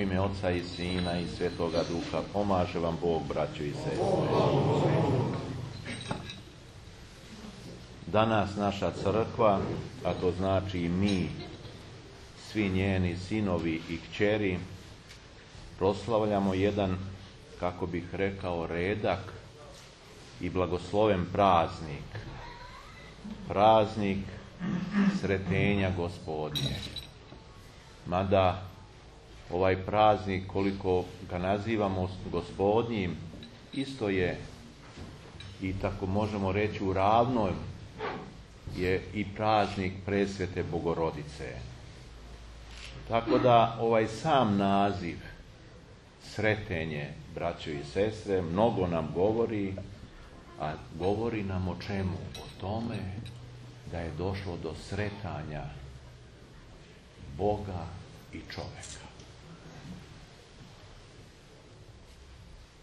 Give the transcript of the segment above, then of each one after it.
U ime Oca i Sina i Svetoga Duha, pomaže vam Bog, braćo i sestre. Danas naša crkva, a to znači i mi, svi njeni sinovi i kćeri, proslavljamo jedan, kako bih rekao, redak i blagosloven praznik. Praznik Sretenja Gospodnje. Mada ovaj praznik, koliko ga nazivamo Gospodnjim, isto je, i tako možemo reći u ravnoj, je i praznik Presvete Bogorodice. Tako da ovaj sam naziv Sretenje, braćo i sestre, mnogo nam govori, a govori nam o čemu? O tome da je došlo do sretanja Boga i čoveka.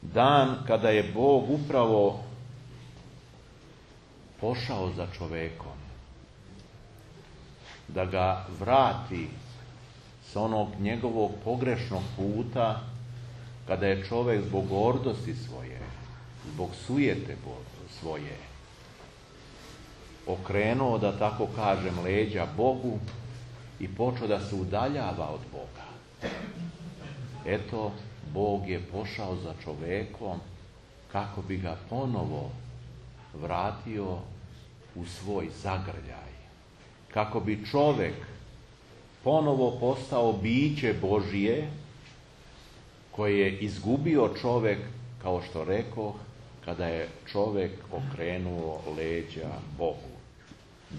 Dan kada je Bog upravo pošao za čovekom, da ga vrati sa onog njegovog pogrešnog puta, kada je čovek zbog gordosti svoje, zbog sujete svoje, okrenuo, da tako kažem, leđa Bogu i počeo da se udaljava od Boga. Eto, Bog je pošao za čovekom kako bi ga ponovo vratio u svoj zagrljaj. Kako bi čovek ponovo postao biće Božije, koje je izgubio čovek, kao što rekoh, kada je čovek okrenuo leđa Bogu.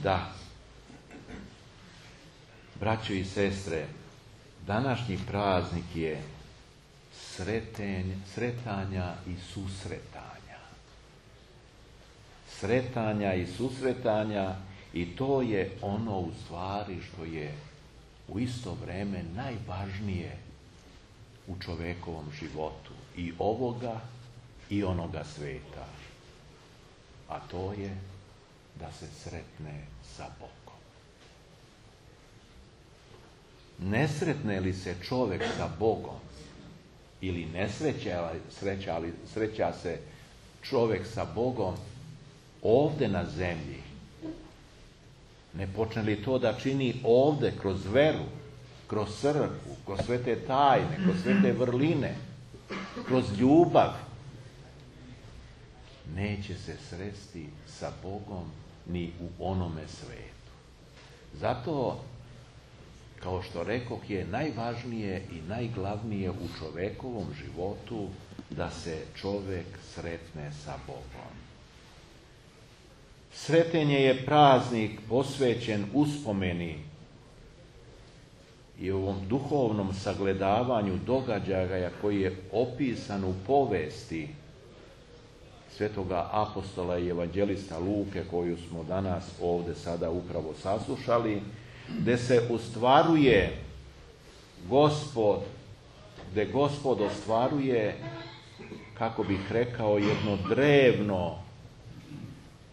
Da, braćo i sestre, današnji praznik je sretanja i susretanja. Sretanja i susretanja, i to je ono u stvari što je u isto vreme najvažnije u čovekovom životu, i ovoga i onoga sveta. A to je da se sretne sa Bogom. Ne sretne li se čovek sa Bogom, ili ne sreća se čovek sa Bogom ovde na zemlji, ne počne li to da čini ovde kroz veru, kroz crkvu, kroz svete tajne, kroz svete vrline, kroz ljubav, neće se sresti sa Bogom ni u onome svetu. Zato, kao što rekoh, je najvažnije i najglavnije u čovekovom životu da se čovek sretne sa Bogom. Sretenje je praznik posvećen uspomeni i ovom duhovnom sagledavanju događaja koji je opisan u povesti svetoga apostola i evanđelista Luke, koju smo danas ovde sada upravo saslušali, gde se ostvaruje gde Gospod ostvaruje, kako bih rekao, jedno drevno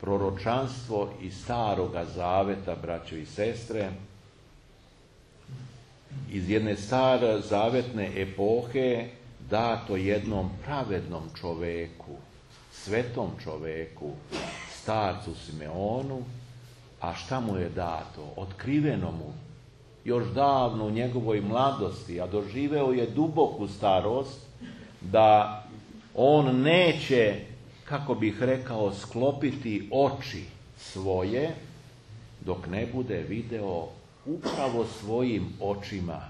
proročanstvo iz Staroga Zaveta, braćo i sestre, iz jedne starozavetne epohe, dato jednom pravednom čoveku, svetom čoveku, starcu Simeonu. A šta mu je dato? Otkriveno mu još davno u njegovoj mladosti, a doživeo je duboku starost, da on neće, kako bih rekao, sklopiti oči svoje dok ne bude video upravo svojim očima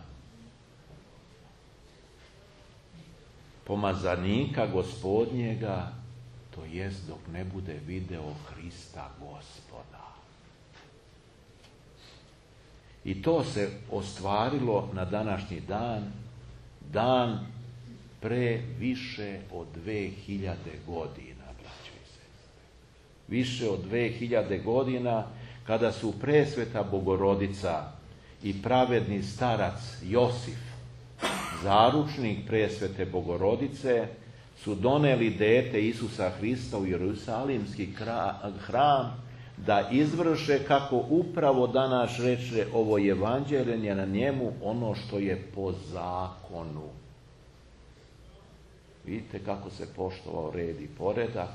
pomazanika Gospodnjega, to jest dok ne bude video Hrista Gospoda. I to se ostvarilo na današnji dan, dan pre više od 2000 godina, braćo i sestre. Više od 2000 godina, kada su Presveta Bogorodica i pravedni starac Josif, zaručnik Presvete Bogorodice, su doneli dete Isusa Hrista u Jerusalimski hram, da izvrše, kako upravo danas reče ovo evanđelje, na njemu ono što je po zakonu. Vidite kako se poštovao red i poredak,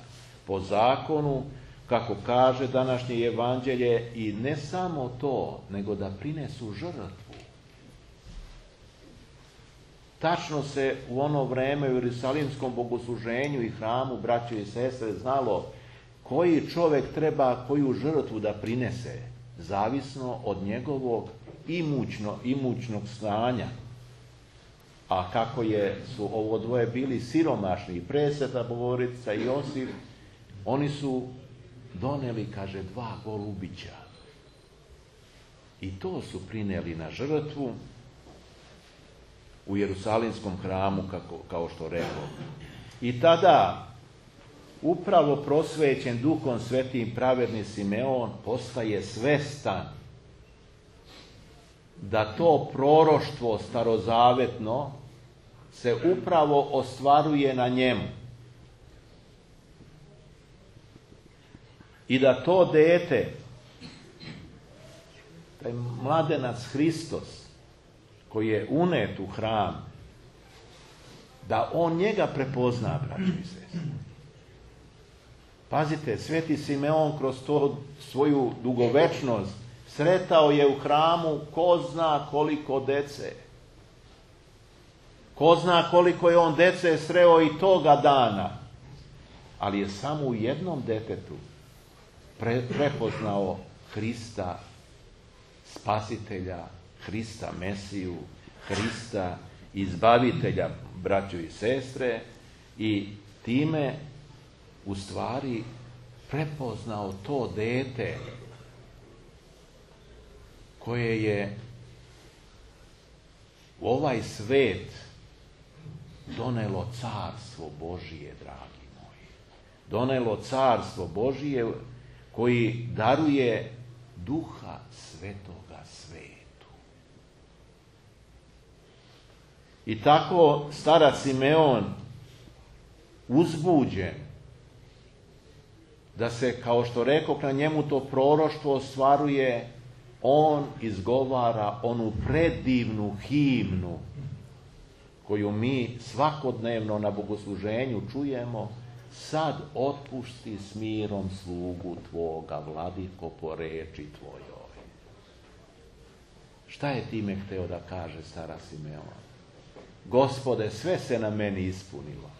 po zakonu, kako kaže današnje evanđelje, i ne samo to, nego da prinesu žrtvu. Tačno se u ono vreme u Jerusalimskom bogosluženju i hramu, braćo i sestre, znalo koji čovjek treba koju žrtvu da prinese, zavisno od njegovog imućnog stanja. A kako su ovo dvoje bili siromašni, i presveta Bogorodica i Josif, oni su doneli, kaže, 2 golubića. I to su prineli na žrtvu u Jerusalimskom hramu, kao što rekao. I tada, upravo prosvećen Duhom Svetim, pravedni Simeon postaje svestan da to proroštvo starozavetno se upravo ostvaruje na njemu. I da to dete, taj mladenac Hristos, koji je unet u hram, da on njega prepozna, braćo i sestre. Pazite, sveti Simeon kroz to svoju dugovečnost sretao je u hramu ko zna koliko dece. Ko zna koliko je on dece sreo i toga dana. Ali je samo u jednom detetu prepoznao Hrista Spasitelja, Hrista Mesiju, Hrista Izbavitelja, braćo i sestre, i time u stvari prepoznao to dete koje je u ovaj svet donelo carstvo Božije, dragi moji. Donelo carstvo Božije koji daruje Duha Svetoga svetu. I tako starac Simeon, uzbuđen, da se, kao što rekoh, na njemu to proroštvo ostvaruje, on izgovara onu predivnu himnu koju mi svakodnevno na bogosluženju čujemo: sad otpusti s mirom slugu tvoga, vladiko, po reči tvojoj. Šta je time hteo da kaže starac Simeon? Gospode, sve se na meni ispunilo.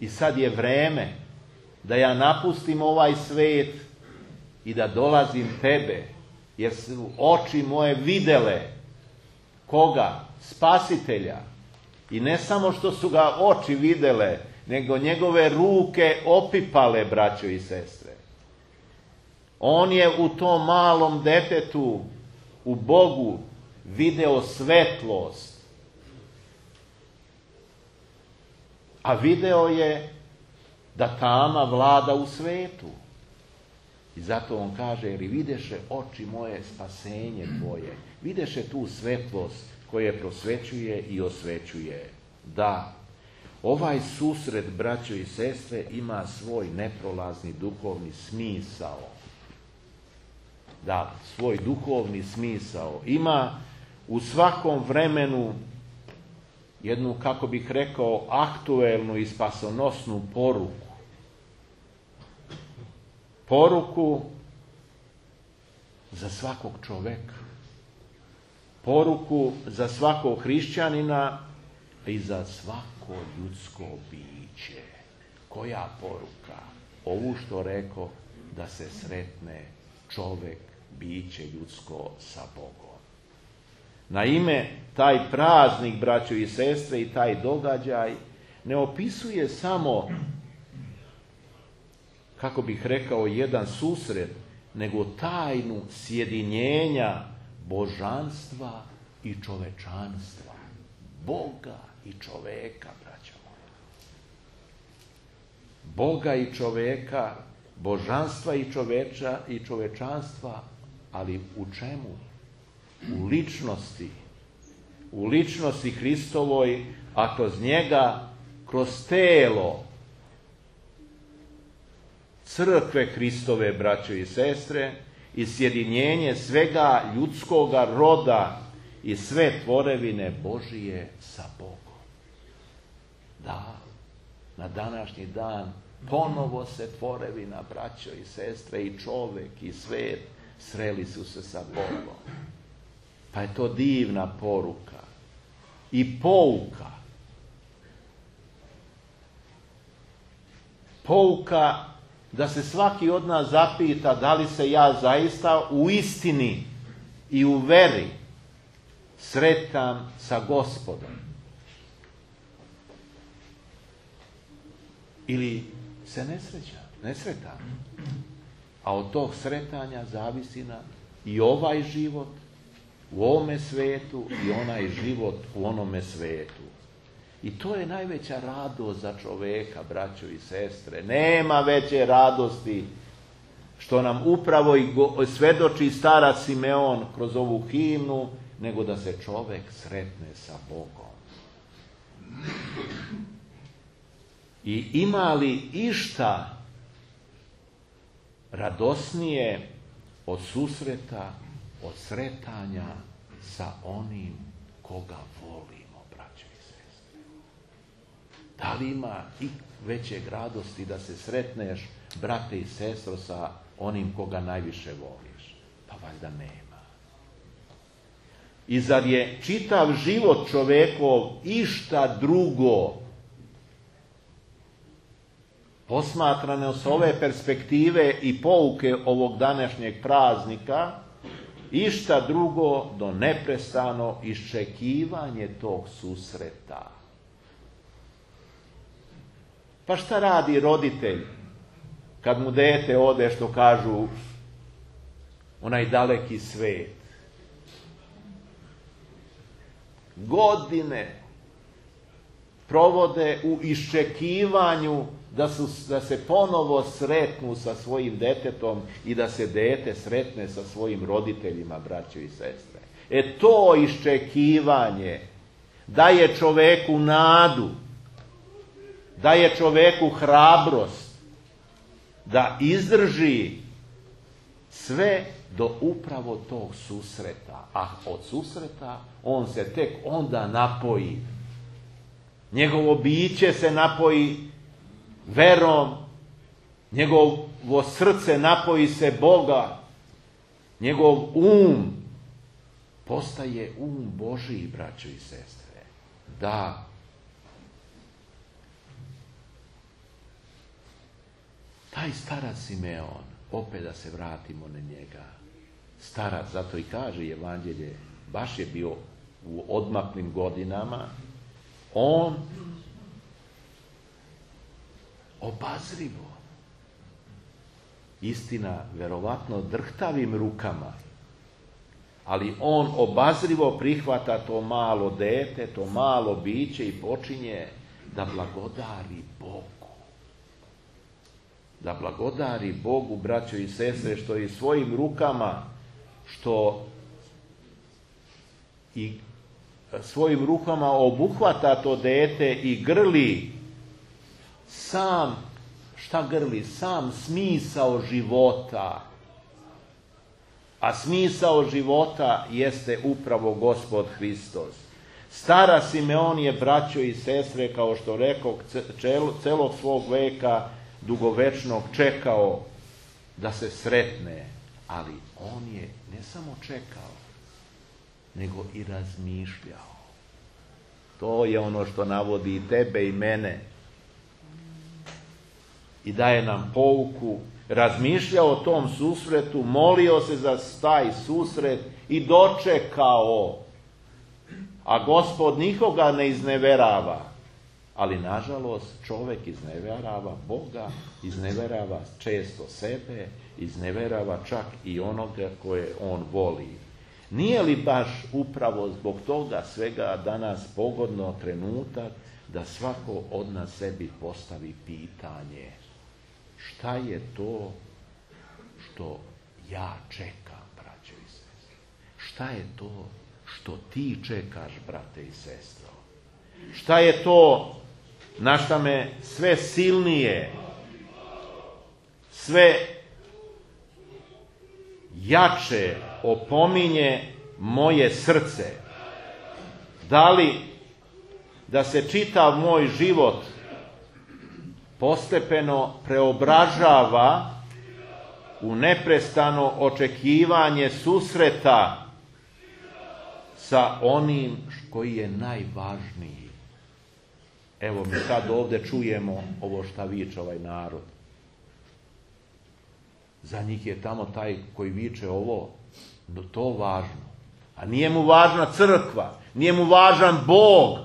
I sad je vreme da ja napustim ovaj svet i da dolazim tebe, jer su oči moje videle koga? Spasitelja. I ne samo što su ga oči videle, nego njegove ruke opipale, braćo i sestre. On je u tom malom detetu, u Bogu, video svetlost. A video je da tama vlada u svetu. I zato on kaže, jer videše oči moje spasenje tvoje. Videše tu svetlost koje prosvećuje i osvećuje. Da, ovaj susret, braćo i sestre, ima svoj neprolazni duhovni smisao. Da, svoj duhovni smisao. Ima u svakom vremenu jednu, kako bih rekao, aktuelnu i spasonosnu poruku. Poruku za svakog čoveka. Poruku za svakog hrišćanina i za svako ljudsko biće. Koja poruka? Ovu što rekao, da se sretne čovek, biće ljudsko sa Bogom. Naime, taj praznik, braćo i sestre, i taj događaj ne opisuje samo, kako bih rekao, jedan susret, nego tajnu sjedinjenja božanstva i čovečanstva. Boga i čoveka, braćo moja. Boga i čoveka, božanstva i čovečanstva, ali u čemu? U ličnosti. U ličnosti Hristovoj, a kroz njega, kroz telo crkve Hristove, braćo i sestre, i sjedinjenje svega ljudskoga roda i sve tvorevine Božije sa Bogom. Da, na današnji dan ponovo se tvorevina, braćo i sestre, i čovek i svet sreli su se sa Bogom. Pa je to divna poruka i pouka. Pouka da se svaki od nas zapita da li se ja zaista u istini i u veri sretam sa Gospodom. Ili se ne sretam. A od tog sretanja zavisi nam i ovaj život u ovome svetu i onaj život u onome svetu. I to je najveća radost za čoveka, braćo i sestre. Nema veće radosti, što nam upravo i svedoči starac Simeon kroz ovu himnu, nego da se čovek sretne sa Bogom. I ima li išta radosnije od susreta, od sretanja sa onim koga volimo, braćo i sestre? Da li ima i većeg radosti da se sretneš, brate i sestro, sa onim koga najviše voliš? Pa valjda nema. I zar je čitav život čovekov išta drugo, posmatrano s ove perspektive i pouke ovog današnjeg praznika, išta drugo do neprestano iščekivanje tog susreta? Pa šta radi roditelj kad mu dete ode, što kažu, onaj daleki svet? Godine provode u iščekivanju da se ponovo sretnu sa svojim detetom i da se dete sretne sa svojim roditeljima, braćo i sestre. To iščekivanje daje čoveku nadu, daje čoveku hrabrost da izdrži sve do upravo tog susreta. A od susreta on se tek onda napoji. Njegovo biće se napoji verom, njegovo srce napoji se Boga, njegov postaje Božiji, braćo i sestre. Da. Taj starac Simeon, opet da se vratimo na njega, starac, zato i kaže Evanđelje, baš je bio u odmaklim godinama, on obazrivo, istina, verovatno drhtavim rukama, ali on obazrivo prihvata to malo dete, to malo biće i počinje da blagodari Bogu. Da blagodari Bogu, braćo i sestre, što i svojim rukama, što i svojim rukama obuhvata to dete i grli sam, šta grli? Sam smisao života. A smisao života jeste upravo Gospod Hristos. Stara Simeon je, braćo i sestre, kao što rekao, celog svog veka dugovečnog čekao da se sretne, ali on je ne samo čekao, nego i razmišljao. To je ono što navodi i tebe i mene i daje nam pouku. Razmišljao o tom susretu, molio se za taj susret i dočekao. A Gospod nikoga ne izneverava. Ali nažalost čovjek izneverava Boga, izneverava često sebe, izneverava čak i onoga koje on voli. Nije li baš upravo zbog toga svega danas pogodno trenutak da svako od nas sebi postavi pitanje: šta je to što ja čekam, braćo i sestre? Šta je to što ti čekaš, brate i sestro? Šta je to na šta me sve silnije, sve jače opominje moje srce? da se čitav moj život postepeno preobražava u neprestano očekivanje susreta sa onim koji je najvažniji. Evo mi sad ovdje čujemo ovo šta viče ovaj narod. Za njih je tamo taj koji viče ovo, to važno. A nije mu važna crkva, nije mu važan Bog,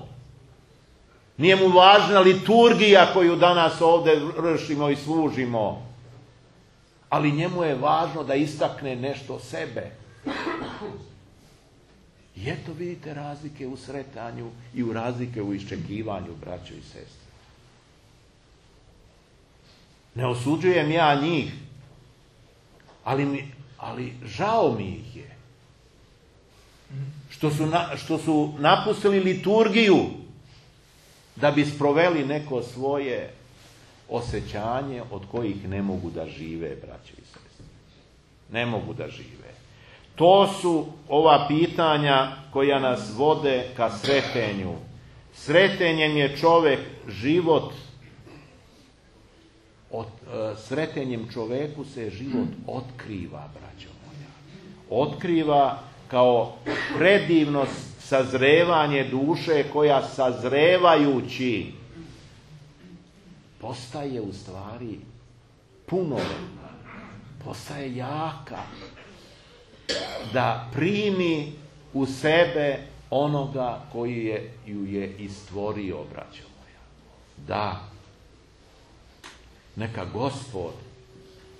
nije mu važna liturgija koju danas ovdje vršimo i služimo. Ali njemu je važno da istakne nešto sebe. I eto vidite razlike u sretanju i u razlike u iščekivanju, braćo i sestre. Ne osuđujem ja njih, ali žao mi ih je. Što su napustili liturgiju da bi sproveli neko svoje osjećanje od kojih ne mogu da žive, braćo i sestre. Ne mogu da žive. To su ova pitanja koja nas vode ka sretenju. Sretenjem je čovjek život, sretenjem čovjeku se život otkriva, braćo moja. Otkriva kao predivno sazrevanje duše koja sazrevajući postaje u stvari punoletna, postaje jaka, da primi u sebe onoga koji ju je i stvorio, braćo moja. Da, neka Gospod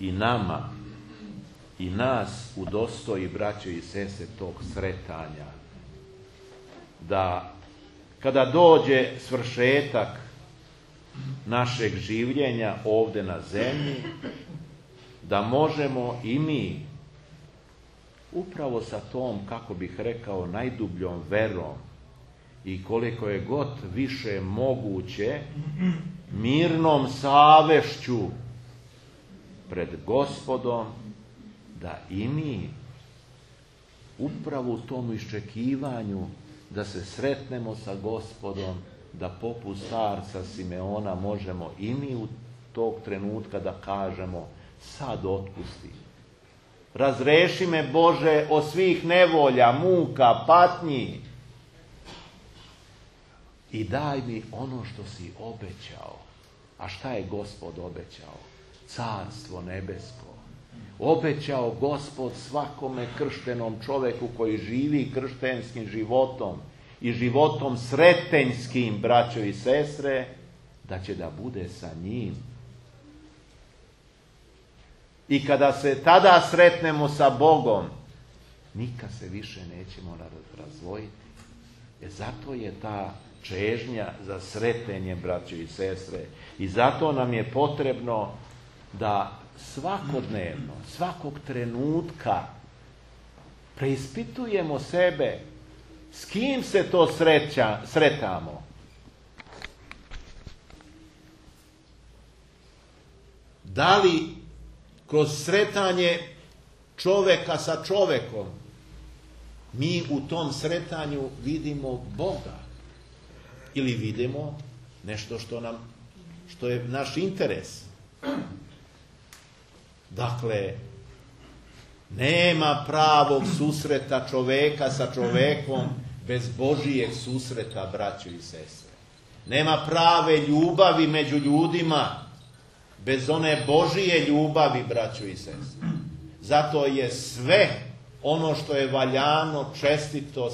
i nama i nas udostoji, braćo i sestre, tog sretanja, da kada dođe svršetak našeg življenja ovdje na zemlji, da možemo i mi upravo sa tom, kako bih rekao, najdubljom verom i koliko je god više moguće, mirnom savešću pred Gospodom, da i mi upravo u tom iščekivanju da se sretnemo sa Gospodom, da poput starca Simeona možemo i mi u tog trenutka da kažemo: sad otpusti. Razreši me, Bože, od svih nevolja, muka, patnji i daj mi ono što si obećao. A šta je Gospod obećao? Carstvo nebesko. Obećao Gospod svakome krštenom čovjeku koji živi krštenskim životom i životom sretenjskim, braćo i sestre, da će da bude sa njim. I kada se tada sretnemo sa Bogom, nikad se više nećemo razdvojiti. Zato je ta čežnja za sretenje, braćo i sestre. I zato nam je potrebno da svakodnevno, svakog trenutka preispitujemo sebe s kim se to sretamo. Da li kroz sretanje čovjeka sa čovjekom mi u tom sretanju vidimo Boga ili vidimo nešto što je naš interes. Dakle, nema pravog susreta čovjeka sa čovjekom bez Božijeg susreta, braćo i sestre. Nema prave ljubavi među ljudima bez one Božije ljubavi, braćo i sestre. Zato je sve ono što je valjano, čestito,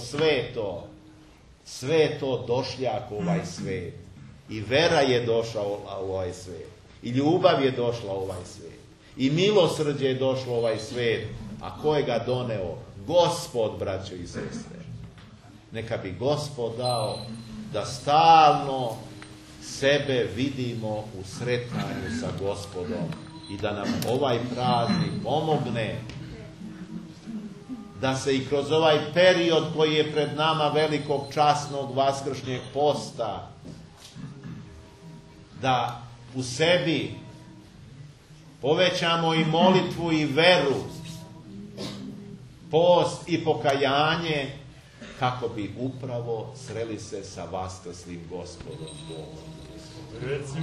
sve to došljak u ovaj svijet. I vera je došla u ovaj svijet. I ljubav je došla u ovaj svijet. I milosrđe je došlo u ovaj svijet. A ko je ga doneo? Gospod, braćo i sestre. Neka bi Gospod dao da stalno sebe vidimo u sretanju sa Gospodom i da nam ovaj praznik pomogne da se i kroz ovaj period koji je pred nama velikog časnog vaskršnjeg posta, da u sebi povećamo i molitvu i veru, post i pokajanje kako bi upravo sreli se sa vaskrslim Gospodom Bogom.